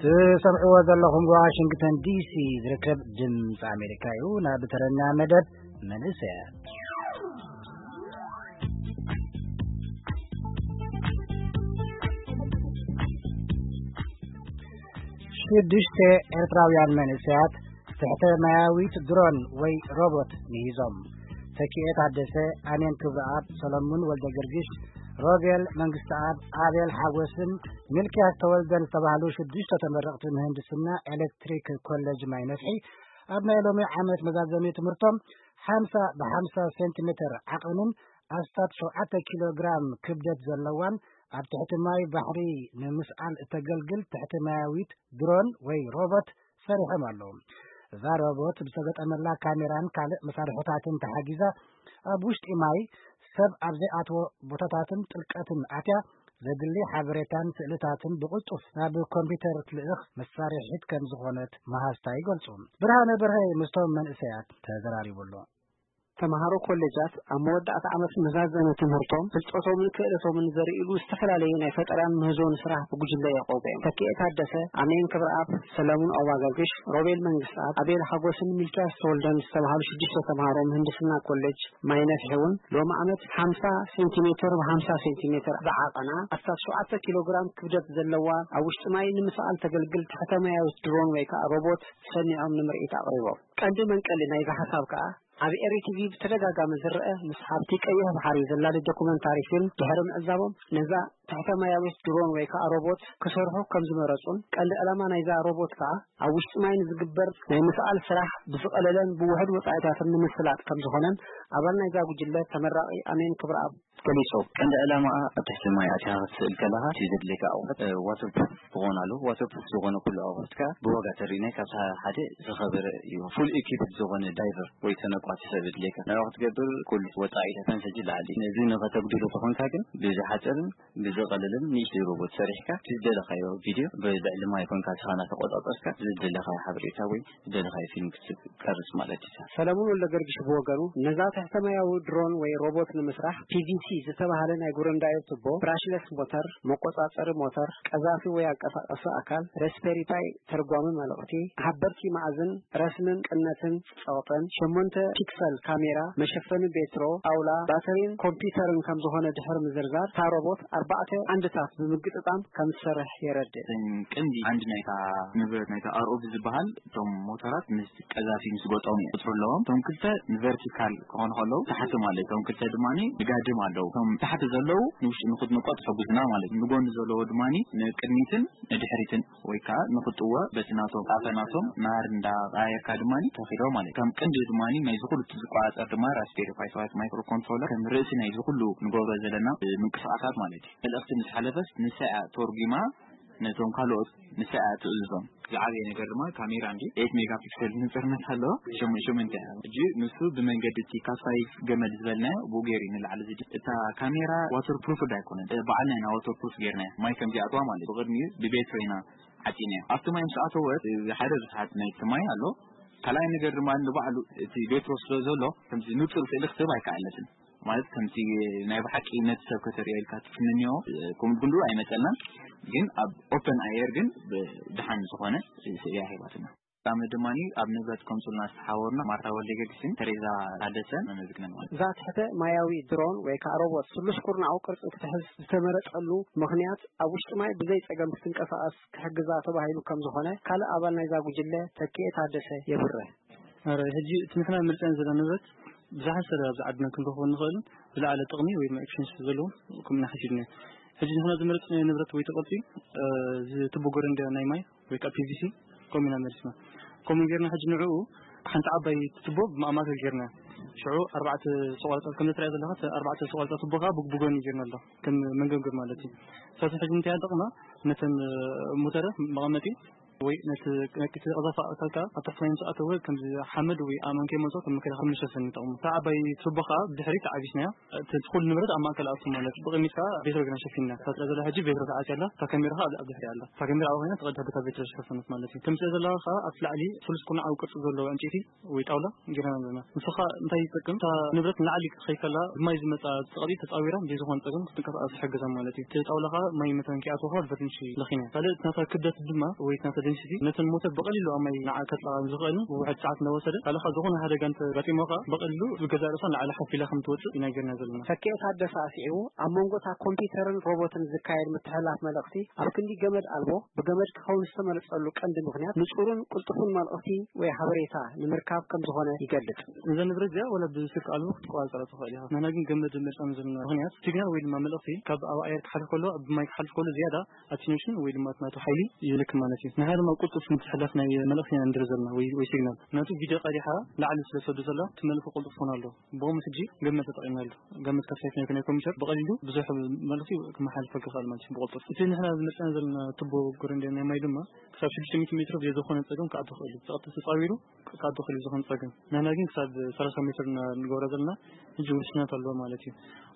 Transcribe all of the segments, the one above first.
ትሰምዕዎ ዘለኹም ዋሽንግተን ዲሲ ዝርከብ ድምፂ ኣሜሪካ እዩ። ናብ ተረኛ መደብ መንእሰያት። ሽዱሽተ ኤርትራውያን መንእሰያት ትሕተ ማያዊት ድሮን ወይ ሮቦት ምሂዞም። ተኪኤ ታደሰ፣ ኣሜን ክብረኣብ፣ ሰለሙን ወልደ ገርግሽ፣ ሮቤል መንግስተኣብ፣ ኣቤል ሓጎስን ሚልክያስ ተወልደን ዝተባህሉ ሽዱሽተ ተመረቕቲ ምህንድስና ኤሌክትሪክ ኮሌጅ ማይ ነፍሒ ኣብ ናይ ሎሚ ዓመት መዛዘሚ ትምህርቶም ሓምሳ ብ ሓምሳ ሴንቲሜትር ዓቐንን ኣስታት ሸውዓተ ኪሎ ግራም ክብደት ዘለዋን ኣብ ትሕቲ ማይ ባሕሪ ንምስኣል እተገልግል ትሕቲ ማያዊት ድሮን ወይ ሮቦት ሰሪሖም ኣለዉ። እዛ ሮቦት ብዝተገጠመላ ካሜራን ካልእ መሳርሕታትን ተሓጊዛ ኣብ ውሽጢ ማይ ሰብ ኣብ ዘይኣትዎ ቦታታትን ጥልቀትን ኣትያ ዘድሊ ሓበሬታን ስእልታትን ብቕልጡፍ ናብ ኮምፒውተር ትልእኽ መሳርሒት ከም ዝኾነት መሃዝታ ይገልጹ። ብርሃነ በርሀ ምስቶም መንእሰያት ተዘራሪቡ ኣሎ። ተምሃሮ ኮሌጃት ኣብ መወዳእታ ዓመት መዛዘሚ ትምህርቶም ፍልጠቶምን ክእለቶምን ዘርእሉ ዝተፈላለዩ ናይ ፈጠራን ምህዞን ስራሕ ብጉጅለ የቆቡ እዮም። ተኪኤ ታደሰ፣ ኣሜን ክብረኣብ፣ ሰለሙን ኣዋጋግሽ፣ ሮቤል መንግስተኣብ፣ ኣቤል ሓጎስን ሚልክያስ ተወልደን ዝተባሃሉ ሽዱሽተ ተምሃሮ ምህንድስና ኮሌጅ ማይ ነፍሒ እውን ሎሚ ዓመት ሓምሳ ሴንቲሜትር ብ ሓምሳ ሴንቲሜትር ዝዓቐና ኣስታት ሸውዓተ ኪሎ ግራም ክብደት ዘለዋ ኣብ ውሽጢ ማይ ንምስኣል ተገልግል ትሕተ ማያዊት ድሮን ወይ ከዓ ሮቦት ሰኒዖም ንምርኢት ኣቕሪቦም። ቀንዲ መንቀሊ ናይዚ ሓሳብ ከዓ ኣብ ኤሪ ቲቪ ብተደጋጋሚ ዝረአ ምስ ሃብቲ ቀይሕ ባሕሪ ዘላሊ ዶኩመንታሪ ፊልም ድሕሪ ምዕዛቦም ነዛ ትሕተ ማያዊት ድሮን ወይ ከዓ ሮቦት ክሰርሑ ከም ዝመረጹን ቀንዲ ዕላማ ናይዛ ሮቦት ከዓ ኣብ ውሽጢ ማይ ንዝግበር ናይ ምስኣል ስራሕ ብዝቐለለን ብውሑድ ወጻኢታትን ንምስላጥ ከም ዝኾነን ኣባል ናይዛ ጉጅለ ተመራቒ ኣሜን ክብረኣብ ገሊጹ። ቀንዲ ዕላማኣ ኣብ ትሕቲ ማይ ኣቲኻ ክትስእል ከለኻ እቲ ዘድልየካ ኣቑሑት፣ እ፣ ዋተር ፕሩፍ ክኾን ኣለዎ። ዋተር ፕሩፍ ዝኾነ ኩሉ ኣቑሑት ከኣ ብዋጋ ተሪናይ ካብቲ ሓደ ዝኸበረ እዩ። ፉል ኢኪፕድ ዝኾነ ዳይቨር ወይ ተነቋቲ ሰብ የድልየካ። ንዕኡ ክትገብር ኩሉ ወጻኢታትን ፈጅ ይልዓል እዩ። ነዚ ንኸተጉድሎ ተኾንካ ግን ብዝሓጽርን ብዝቐለልን ንእሽተይ ሮቦት ሰሪሕካ እቲ ዝደለኻዮ ቪድዮ ብልዕሊ ማይ ኮንካ ንስኻ እናተቆጻጸርካ ዝደለኻዮ ሓበሬታ ወይ ዝደለኻዮ ፊልም ክትቀርጽ ማለት እዩ። ሰለሙን ወልደገርግሽ ብወገኑ፣ ነዛ ትሕተ ማያዊ ድሮን ወይ ሮቦት ንምስራሕ ፒ ቪ ሲ ዝተባህለ ናይ ጉረንዳዮ ቱቦ፣ ብራሽለስ ሞተር፣ መቆጻጸሪ ሞተር፣ ቀዛፊ ወይ ኣንቀሳቃሲ ኣካል፣ ሬስፔሪ ፓይ ተርጓሚ መልእኽቲ፣ ሓበርቲ መኣዝን ረስንን ቅነትን ጸቕጥን፣ ሸሞንተ ፒክሰል ካሜራ፣ መሸፈኒ ቤትሮ፣ ጣውላ፣ ባተሪን ኮምፒውተርን ከም ዝኾነ ድሕሪ ምዝርዛር፣ እታ ሮቦት ኣርባዕተ ዓንድታት ብምግጥጣም ከም ትሰርሕ የረድእ። እተን ቀንዲ ዓንዲ ናይታ ንብረት ናይታ ኣር ኦ ቪ ዝበሃል እቶም ሞተራት ምስ ቀዛፊ ምስ ገጠሙ እዩ ቁጽሪ ኣለዎም። እቶም ክልተ ንቨርቲካል ክኾኑ ከለዉ ታሕቲ ማለት እዩ። እቶም ክልተ ድማ ንጋድም ኣለዉ። እቶም ታሕቲ ዘለዉ ንውሽጢ ንኽትንቆት ይሕግዙና ማለት እዩ። ንጎኒ ዘለዎ ድማ ንቅድሚትን ንድሕሪትን ወይ ከዓ ንኽጥወ በቲ ናቶም ጣፈ ናቶም ናር እንዳቀያየርካ ድማ ተኺዶ ማለት እዩ። ከም ቅንዲ ድማ ናይዚ ኩሉ ዝቆጻጸር ድማ ራስቤሪ ፓይ ሰባት ማይክሮ ኮንትሮለር ከም ርእሲ ናይዚ ኩሉ ንገብሮ ዘለና ምንቅስቃሳት ማለት እዩ። መልእኽቲ ምስ ሓለፈስ ንሳ እያ ተርጉማ ነቶም ካልኦት ንሳ እያ ትእዝዞም። ዝዓበየ ነገር ድማ ካሜራ እንዲ ኤት ሜጋ ፒክሰል ንጽርነት ኣለዎ። ሸሙ-፣ ሸሞንተ እያ። ሕጂ ንሱ ብመንገዲ እቲ ካስፋይቭ ገመድ ዝበልናዮ ብኡ ገይሩ እዩ ንላዕሊ ዝዲ-፣ እታ ካሜራ ዋተር ፕሩፍ ዳ ኣይኮነን። እ፣ ባዕልና ኢና ዋተር ፕሩፍ ገይርናዮ። ማይ ከም ዚኣትዋ ማለት እዩ። ብቕድሚኡ ብቤትሮ ኢና ዓጺናዮ። ኣብቲ ማይ ምስ ኣተወት፣ እ፣ ሓደ ርትዓት ናይቲ ማይ ኣሎ። ካልኣይ ነገር ድማ ንባዕሉ እቲ ቤትሮ ስለ ዘሎ ከምዚ ንጹር ስእሊ ክትህብ ኣይከኣለትን። ማለት ከምቲ ናይ ብሓቂ ነቲ ሰብ ከተርእዮ ኢልካ ትትምንዮ፣ እ፣ ከምኡ ክንዱ ኣይመጸልናን። ግን ኣብ ኦፐን ኣየር ግን ብ-፣ ደሓን ዝኾነ ስእሊ ኣሂባትና። ፍጻመ ድማ ኣብ ንብረት ከምጽኡልና ዝተሓባበሩና ማርታ ወልደጊዮርጊስን ተሬዛ ታደሰን ነመስግነን ማለት እዩ። እዛ ትሕተ ማያዊ ድሮን ወይ ከዓ ሮቦት ስሉስ ኩርናዓዊ ቅርጺ ክትሕዝ ዝተመረጸሉ ምኽንያት ኣብ ውሽጢ ማይ ብዘይ ጸገም ክትንቀሳቐስ ክሕግዛ ተባሂሉ ከም ዝኾነ ካልእ ኣባል ናይዛ ጉጅለ ተኪኤ ታደሰ የብርህ። ኣረ፣ ሕጂ እቲ ንሕና ምርጫን ዘለና ንብረት ብዙሓት ስለ ኣብዚ ዓድና ክንረኽቦ እንኽእልን ዝለዓለ ጥቕሚ ወይ ድማ ኤክስፔንስ ዘለዎም ከምኡ ኢና ሓሲብና። ሕጂ ንሕና ዝመረጽናዮ ንብረት ወይ ተቐልጢ፣ እ፣ እዚ ቱቦ ጎረንዳ ናይ ማይ ወይ ከዓ ፒ ቪ ሲ ከምኡ ኢና መሪጽና። ከምኡ ጌርና ሕጂ ንዕኡ ሓንቲ ዓባይ ቱቦ ብማእማተር ጌርና። ሽዑ ኣርባዕተ ሰቆርታ ከም እትሪኣ ዘለኻ፣ እቲ ኣርባዕተ ሰቆርታ ቱቦ ከዓ ብግ-፣ ብጎኒ ጌርና ኣሎ። ከም መንገብገብ ማለት እዩ። ስለዚ ሕጂ እንታይ ኣጠቕማ ነተን፣ እ፣ ሞተረ መቐመጢ ወይ ነቲ ነቲ ቀዛፊ ኣካል ከኣ ኣብ ትሕቲ ማይ ምስ ኣተወ ከምዚ ሓመድ ወይ ኣእማን ከይመጾ ከም መከላኸሊ መሸፈኒ ይጠቕሙ። እታ ዓባይ ቱቦ ከኣ ብድሕሪት ዓቢስናያ። እቲ ኩሉ ንብረት ኣብ ማእከል ኣቱ ማለት ብቕድሚት ከኣ ቤትሮ ግና ሸፊንና። እታ ትረኣ ዘላ ሕጂ ቤትሮ ተዓጽያ ኣላ። እታ ካሜራ ከኣ ኣብ ድሕሪኣ ኣላ። እታ ካሜራ ኣብኣ ኮይና ትቐድሕ በታ ቤትሮ ሸፈነት ማለት እዩ። ከምዚ ዘላ ከኣ ኣብቲ ላዕሊ ስሉስ ኩርናዓዊ ቅርጺ ዘለዎ ዕንጨይቲ ወይ ጣውላ ጌርና ኣለና። ንሱ ኸኣ እንታይ ይጠቅም? እታ ንብረት ንላዕሊ ክትኸይድ ከላ ብማይ ዝመጻ ጸቕጢ ተጻዊራ ብዘይዝኾነ ጸገም ክትንቀሳቐስ ይሕግዛ ማለት እዩ። እቲ ጣውላ ኸኣ ማይ መታን ከይኣትዎ ኸኣ ብበርንሺ ለኺና። ካልእ እቲ ናታ ክብደት ድማ ወይ እቲ ናታ ደንሲቲ ነተን ሞተር ብቐሊሉ ኣብ ማይ ንዓ ከጥልቓ ዝኽእልን ውሕድ ሰዓት እናወሰደ ካልእ ኸኣ ዝኾነ ሓደጋ እንተጋጢሞ ኸኣ ብቐሊሉ ብገዛእ ርእሳ ንላዕሊ ሓፍ ኢላ ከም ትወጽእ ኢና ጌርና ዘለና። ተኪኤ ታደሰ ኣስዒቡ ኣብ መንጎ እታ ኮምፒውተርን ሮቦትን ዝካየድ ምትሕልላፍ መልእኽቲ ኣብ ክንዲ ገመድ ኣልቦ ብገመድ ክኸውን ዝተመረጸሉ ቀንዲ ምኽንያት ንጹርን ቅልጡፍን መልእኽቲ ወይ ሓበሬታ ንምርካብ ከም ዝኾነ ይገልጽ። እዛ ንብረት እዚኣ ወላ ብስልኪ ኣልቦ ክትቆጻጸራ ትኽእል ኢኻ። ንሕና ግን ገመድ መርጻና ዘለና ምኽንያት ሲግናል ወይ ድማ መልእኽቲ ካብ ኣብ ኣየር ክሓልፍ ከሎ፣ ኣብ ማይ ክሓልፍ ከሎ ዝያዳ ኣቴንሽን ወይ ድማ እቲ ናቱ ሓይሊ ይልክ ማለት እዩ። ንሕና ድማ ቅልጡፍ ምትሕልላፍ ናይ መልእኽቲ ኢና ንደሊ ዘለና ወይ፣ ወይ ሲግናል። ምኽንያቱ ቪድዮ ቀዲሓ ላዕሊ ስለ ትሰዶ ዘላ እቲ መልእኽቲ ቅልጡፍ ክኾን ኣለዎ። ብኸምኡ ሕጂ ገመድ ተጠቒምናሉ። ገመድ ካብ ሳይት ናይ ኮምፒውተር ብቐሊሉ ብዙሕ መልእኽቲ ክመሓልፈሉ ይኽእል ማለት እዩ ብቕልጡፍ። እቲ ንሕና ዝመርጽና ዘለና ቱቦ ጉረንዴ ናይ ማይ ድማ ክሳብ ሽዱሽተ ሚእቲ ሜትሮ ብዘይ ዝኾነ ጸገም ክኣቱ ይኽእል እዩ። ብቐጥታ ተጻዊሩ ክኣቱ ይኽእል እዩ ዝኾነ ጸገም። ንሕና ግን ክሳብ ሰላሳ ሜትር ኢና ንገብሮ ዘለና። ሕጂ ውስንነት ኣለዎ ማለት እዩ።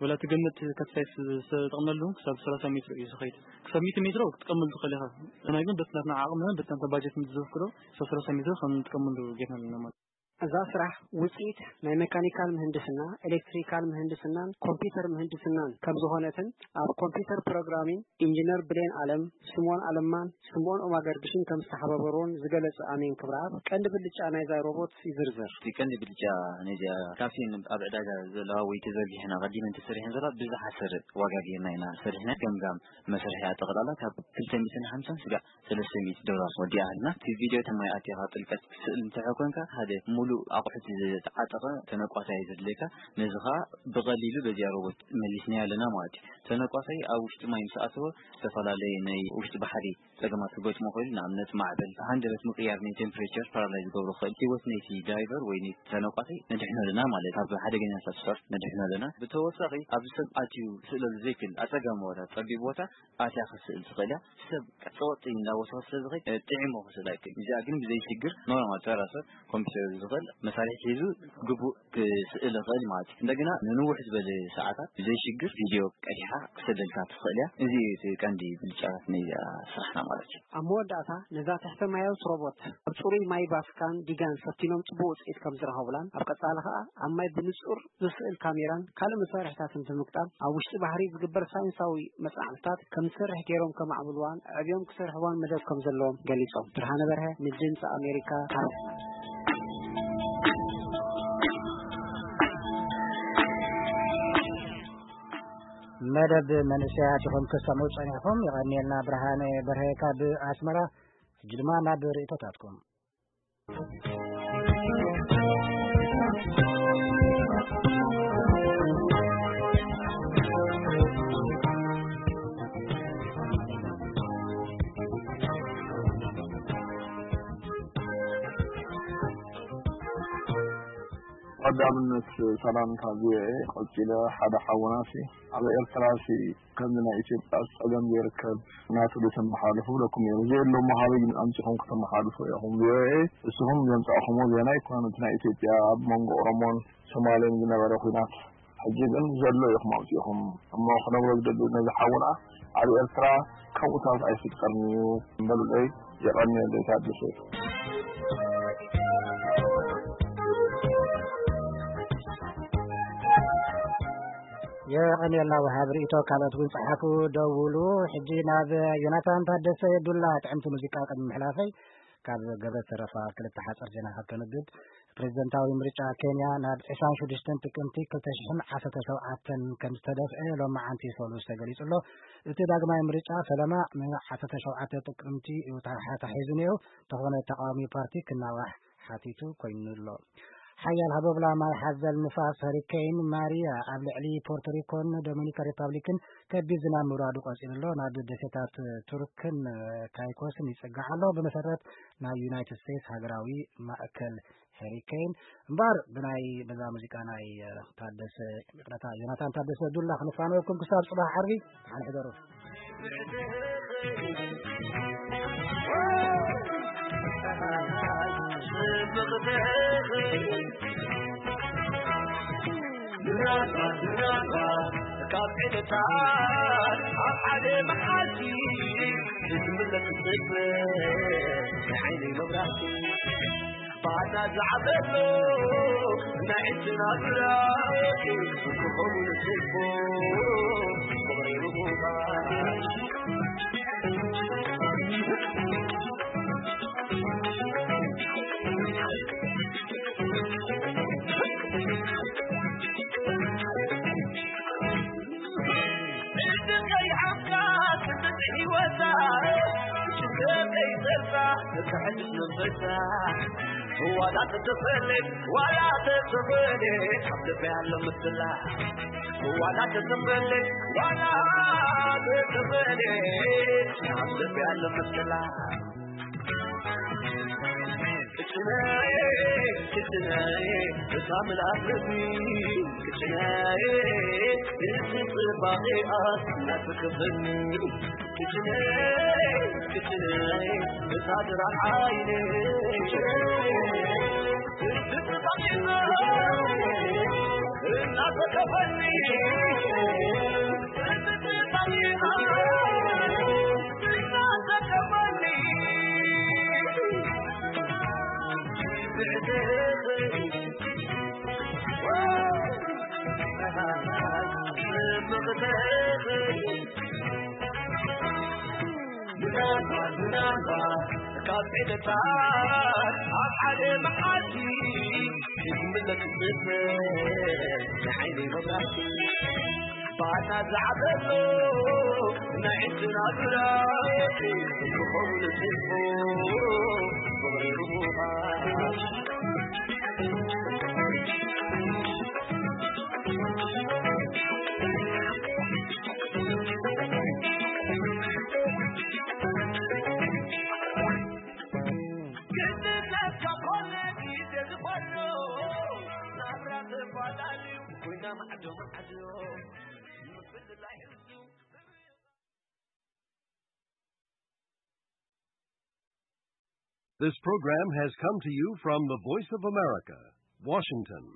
ወላ እቲ ገመድ ካብ ሳይት ዝተጠቕምናሉ ክሳብ ሰላሳ ሜትሮ እዩ ዝኸይድ። ክሳብ ሚእቲ ሜትሮ ክትጥቀመሉ ትኽእል ኢኻ። ንሕና ግን በቲ ናትና ዓቕምና በቲ ናትና ባጀት ምስ ዘፍቅዶ ክሳብ ሰላሳ ሜትሮ ከም ንጥቀመሉ ጌርና ኣለና ማለት እዩ። እዛ ስራሕ ውጽኢት ናይ ሜካኒካል ምህንድስና፣ ኤሌክትሪካል ምህንድስናን ኮምፒውተር ምህንድስናን ከም ዝኾነትን ኣብ ኮምፒውተር ፕሮግራሚንግ ኢንጂነር ብሌን ኣለም፣ ስምኦን ኣለማን ስምኦን ኦማገርግሽን ከም ዝተሓባበሩዎን ዝገለጸ ኣሜን ክብረኣብ ቀንዲ ብልጫ ናይዛ ሮቦት ይዝርዝር። እቲ ቀንዲ ብልጫ ናይዚኣ ካብተን ኣብ ዕዳጋ ዘለዋ ወይ ተዘርጊሐን ኣቐዲመን ተሰሪሐን ዘለዋ ብዝሓሰረ ዋጋ ጌርና ኢና ሰሪሕና። ገምጋም መሰርሒ ኣጠቕላላ ካብ ክልተ ሚእትን ሓምሳን ስጋዕ ሰለስተ ሚእቲ ዶላር ወዲኣ ሃልና። እቲ ቪድዮ እቲ ማይ ኣቲኻ ጥልቀት ክትስእል እንተ ኮንካ፣ ሓደ ሙሉእ ኣቑሑት ዝተዓጠቐ ተነቋሳይ ዘድልየካ፣ ነዚ ኸኣ ብቐሊሉ በዚኣ ሮቦት መሊስናዮ ኣለና ማለት እዩ። ተነቋሳይ ኣብ ውሽጢ ማይ ምስ ኣተወ፣ ዝተፈላለየ ናይ ውሽጢ ባሕሪ ጸገማት ክገጥሞ ይኽእል። ንኣብነት፣ ማዕበል፣ ሃንደበት ምቕያር ናይ ቴምፕሬቸር ፓራላይዝ ዝገብሮ ይኽእል። ህይወት ናይቲ ዳይቨር ወይ ናይቲ ተነቋሳይ ነድሕኖ ኣለና ማለት፣ ካብ ሓደገኛታት ስፖርት ነድሕኖ ኣለና። ብተወሳኺ፣ ኣብዚ ሰብ ኣትዩ ክስእለሉ ዘይክእል ኣጸጋሚ ቦታ፣ ጸቢብ ቦታ፣ ኣትያ ክትስእል ትኽእል እያ። ሰብ ጸወጥ እንዳወሰኸ ስለ ዝኸይድ፣ እ፣ ጥዒሙ ክስእል ኣይክእል። እዚኣ ግን ብዘይ ሽግር ኖርማል ተራ ሰብ ኮምፒውተር ዝኽእል መሳርሒ ሒዙ ግቡእ ክስእል ይኽእል ማለት እዩ። እንደገና ንንውሕ ዝበለ ሰዓታት ብዘይ ሽግር ቪድዮ ቀዲሓ ክሰደልካ ትኽእል እያ። እዚ እዩ እቲ ቀንዲ ብልጫታት ናይዚኣ ስራሕና ማለት እዩ። ኣብ መወዳእታ ነዛ ትሕተ ማያዊት ሮቦት ኣብ ጽሩይ ማይ ቫቲካን ዲጋን ፈቲኖም ጽቡቕ ውጽኢት ከም ዝረኸቡላን ኣብ ቀጻሊ ከኣ ኣብ ማይ ብንጹር ዝስእል ካሜራን ካልእ መሳርሒታትን ብምግጣም ኣብ ውሽጢ ባሕሪ ዝግበር ሳይንሳዊ መጽናዕትታት ከም ዝሰርሕ ገይሮም ከማዕብልዋን ኣዕብዮም ክሰርሕዋን መደብ ከም ዘለዎም ገሊጾም። ብርሃነ በርሀ ንድምፂ ኣሜሪካ ካብ መደብ መንእሰያት ኢኹም ክሰምዑ ጸኒሕኩም። የቐንየልና ብርሃነ በርሀ ካብ ኣስመራ። ሕጂ ድማ ናብ ርእይቶታትኩም። ቀዳምነት ሰላምታ ቪኦኤ። ቀጺለ ሓደ ሓውናሲ ኣብ ኤርትራሲ ከምዚ ናይ ኢትዮጵያ ጸገም ዘይርከብ ናቱ ዶ ተመሓልፉ ብለኩም እዮም። እዚ የሎም መሃቢ ግን ኣምጺኹም ከተመሓልፉ ኢኹም። ቪኦኤ እስኹም ዘምጻእኹሞ ዜና ኣይኮነን። እቲ ናይ ኢትዮጵያ ኣብ መንጎ ኦሮሞን ሶማሌን ዝነበረ ኲናት ሕጂ ግን ዘሎ ኢኹም ኣምጺእኹም። እሞ ክነግሮ ዝደሊ ነዚ ሓውና ኣብ ኤርትራ ከምኡታት ኣይፍጠርን እዩ በሉለይ። የቐንየለይ ታደሰ። የቐንየልና ወሃብ ርእይቶ። ካልኦት እውን ጸሓፉ፣ ደውሉ። ሕጂ ናብ ዮናታን ታደሰ ዱላ ጥዕምቲ ሙዚቃ ቅድሚ ምሕላፈይ ካብ ገብረ ተረፋ ክልተ ሓጸር ዜናታት ከንብብ። ፕሬዝደንታዊ ምርጫ ኬንያ ናብ ዕስራን ሽዱሽተን ጥቅምቲ ክልተ ሽሕን ዓሰርተ ሸውዓተን ከም ዝተደፍአ ሎማዓንቲ ሰሉስ ተገሊጹ ኣሎ። እቲ ዳግማይ ምርጫ ፈለማ ንዓሰርተ ሸውዓተ ጥቅምቲ እዩ ተታሒዙ ነይሩ። እንተኾነ ተቃዋሚ ፓርቲ ክናዋሕ ሓቲቱ ኮይኑ ኣሎ። ሓያል ሃቦብላ ማይ ሓዘል ንፋስ ሀሪኬን ማሪያ ኣብ ልዕሊ ፖርቶሪኮን ዶሚኒካን ሪፓብሊክን ከቢድ ዝናብ ምውራዱ ቀጺሉ ኣሎ። ናብ ደሴታት ቱርክን ካይኮስን ይጽጋዕ ኣሎ። ብመሰረት ናይ ዩናይትድ ስቴትስ ሃገራዊ ማእከል ሄሪኬን እምበኣር ብናይ በዛ ሙዚቃ ናይ ታደሰ፣ ይቕረታ፣ ዮናታን ታደሰ ዱላ ክንፋነወኩም ክሳብ ጽባሕ ዓርቢ። ደሓን ሕደሩ። ምናልባት ምናልባት ካብ ዕለታት ኣብ ሓደ መዓልቲ ዝምለስ ስፍር ናይ ዓይነይ መብራህቲ ባና ዝዓበሎ ናይ ዕድና ብራቂ ክኸውን ስቦ ፍቕሪ ርቡባት ዋላ ተተፈለጥ ዋላ ተተፈለጥ ኣብ ልበይ ኣሎ ምስላ ዋላ ተተፈለጥ ዋላ ተተፈለጥ ኣብ ልበይ ኣሎ ምስላ ክችነይ ክችነይ እታ ምልኣት ልቢ ክችነይ እቲ ጽባቐኣ እናትክፍኒ ክችነይ ክችነይ እታ ድራር ዓይነይ ክችነይ እቲ ጽባቐኣ እናተከፈኒ ካብ ዕለታት ኣብ ሓደ መዓልቲ ክምለስ ዝብል ናይ ዓይነይ መብራህቲ ባታ ዝዓበሎ ናይ ዕድና ብራቂ ክኸውን ስልፎ ፍቕሪ ርቡባት This program has come to you from the Voice of America, Washington.